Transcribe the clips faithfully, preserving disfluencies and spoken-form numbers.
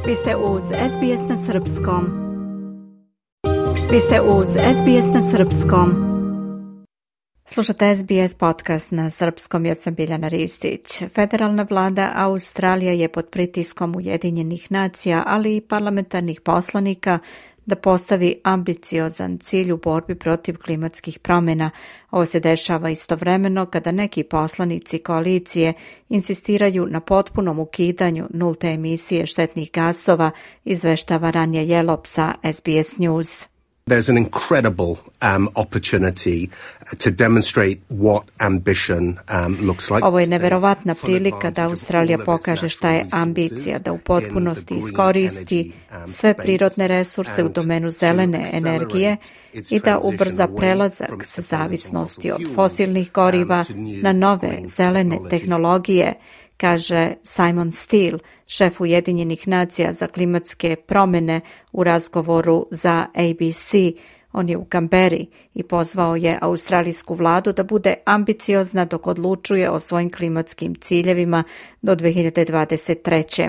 Vi ste uz S B S na Srpskom. Vi ste uz S B S na Srpskom. Slušate S B S podcast na Srpskom, ja sam Biljana Ristić. Federalna vlada Australije je pod pritiskom Ujedinjenih nacija, ali i parlamentarnih poslanika da postavi ambiciozan cilj u borbi protiv klimatskih promjena. Ovo se dešava istovremeno kada neki poslanici koalicije insistiraju na potpunom ukidanju nulte emisije štetnih gasova, izveštava Ranja Jelop sa S B S News. There's an incredible um, opportunity to demonstrate what ambition um, looks like. Ovo je neverovatna prilika da Australija pokaže šta je ambicija, da u potpunosti iskoristi sve prirodne resurse u domenu zelene energije i da ubrza prelazak sa zavisnosti od fosilnih goriva na nove zelene tehnologije, kaže Simon Steele, šef Ujedinjenih nacija za klimatske promjene u razgovoru za A B C. On je u Kamberi i pozvao je australijsku vladu da bude ambiciozna dok odlučuje o svojim klimatskim ciljevima do dve hiljade dvadeset treće.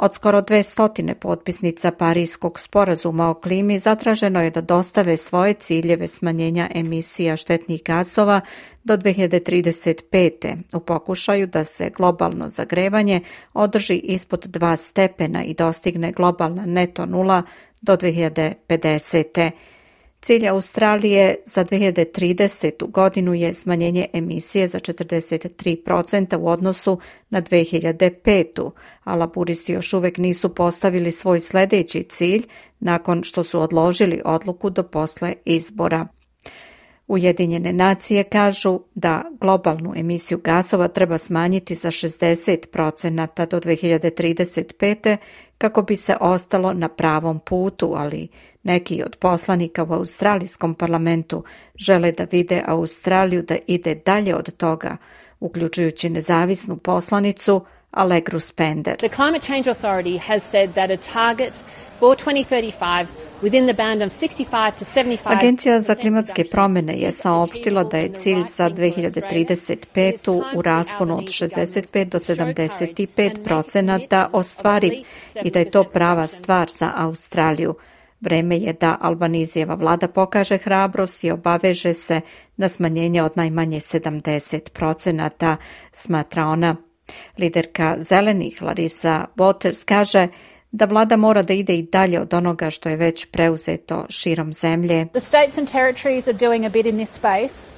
Od skoro dve stotine potpisnica Parijskog sporazuma o klimi zatraženo je da dostave svoje ciljeve smanjenja emisija štetnih gasova do dve hiljade trideset pete u pokušaju da se globalno zagrevanje održi ispod dva stepena i dostigne globalna neto nula do dve hiljade pedesete. Cilj Australije za dve hiljade tridesetu godinu je smanjenje emisije za četrdeset tri posto u odnosu na dve hiljade petu, a laburisti još uvek nisu postavili svoj sljedeći cilj nakon što su odložili odluku do posle izbora. Ujedinjene nacije kažu da globalnu emisiju gasova treba smanjiti za šezdeset posto do dve hiljade trideset pete kako bi se ostalo na pravom putu, ali neki od poslanika u australijskom parlamentu žele da vide Australiju da ide dalje od toga, uključujući nezavisnu poslanicu Allegru Spender. The Climate Change Authority has said that a target for twenty thirty-five within the band of sixty-five to seventy-five. Agencija za klimatske promjene je saopštila da je cilj za dve hiljade trideset petu u rasponu od šezdeset pet do sedamdeset pet procenata ostvariv i da je to prava stvar za Australiju. Vreme je da Albanizijeva vlada pokaže hrabrost i obaveže se na smanjenje od najmanje sedamdeset procenata, smatra ona. Liderka zelenih Larissa Waters kaže da vlada mora da ide i dalje od onoga što je već preuzeto širom zemlje. The states and territories are doing a bit in this space.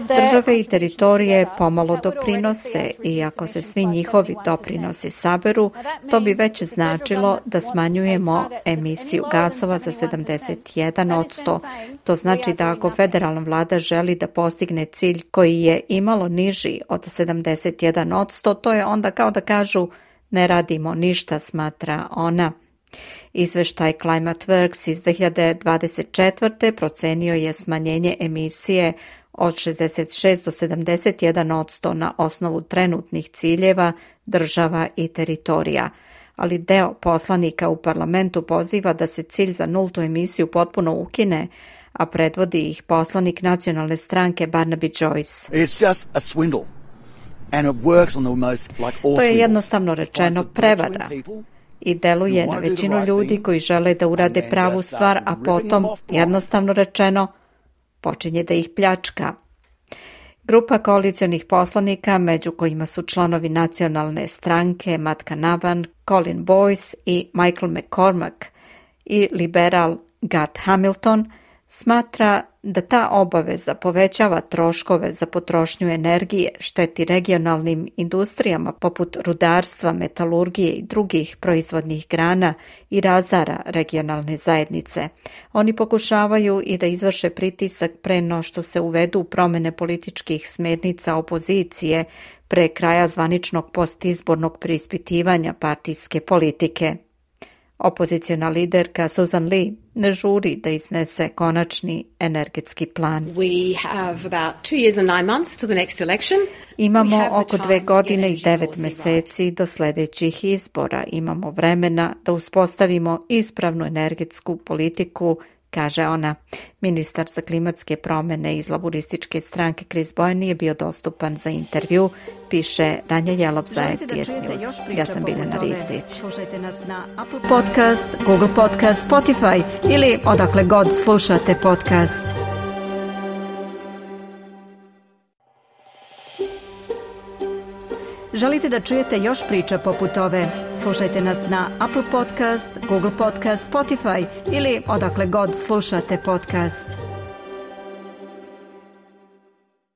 Države i teritorije pomalo doprinose i ako se svi njihovi doprinosi saberu, to bi već značilo da smanjujemo emisiju gasova za sedamdeset jedan posto. To znači da ako federalna vlada želi da postigne cilj koji je imalo niži od sedamdeset jedan posto, to je onda kao da kažu ne radimo ništa, smatra ona. Izveštaj ClimateWorks iz dve hiljade dvadeset četvrte procenio je smanjenje emisije od šezdeset šest do sedamdeset jedan posto na osnovu trenutnih ciljeva država i teritorija, ali deo poslanika u parlamentu poziva da se cilj za nultu emisiju potpuno ukine, a predvodi ih poslanik nacionalne stranke Barnaby Joyce. It's just a swindle and it works on the most like all. To je jednostavno rečeno prevara i deluje na većinu ljudi koji žele da urade pravu stvar, a potom, jednostavno rečeno, počinje da ih pljačka. Grupa koalicionih poslanika, među kojima su članovi nacionalne stranke Matt Canavan, Colin Boyce i Michael McCormack i liberal Garth Hamilton, smatra da ta obaveza povećava troškove za potrošnju energije, šteti regionalnim industrijama poput rudarstva, metalurgije i drugih proizvodnih grana i razara regionalne zajednice. Oni pokušavaju i da izvrše pritisak pre no što se uvedu promjene političkih smernica opozicije pre kraja zvaničnog postizbornog preispitivanja partijske politike. Opoziciona liderka Susan Lee ne žuri da iznese konačni energetski plan. We have about two years and nine months to the next election. Imamo oko dve godine i devet meseci do sljedećih izbora. Imamo vremena da uspostavimo ispravnu energetsku politiku kaže ona. Ministar za klimatske promene iz laborističke stranke Chris Bowen nije bio dostupan za intervju, piše Ranja Jelop za S B S News. Ja sam Biljana Ristić. Slušajte nas na Apple Podcast, Google Podcast, Spotify ili odakle god slušate podcast. Želite da čujete još priča poput ove? Slušajte nas na Apple Podcast, Google Podcast, Spotify ili odakle god slušate podcast.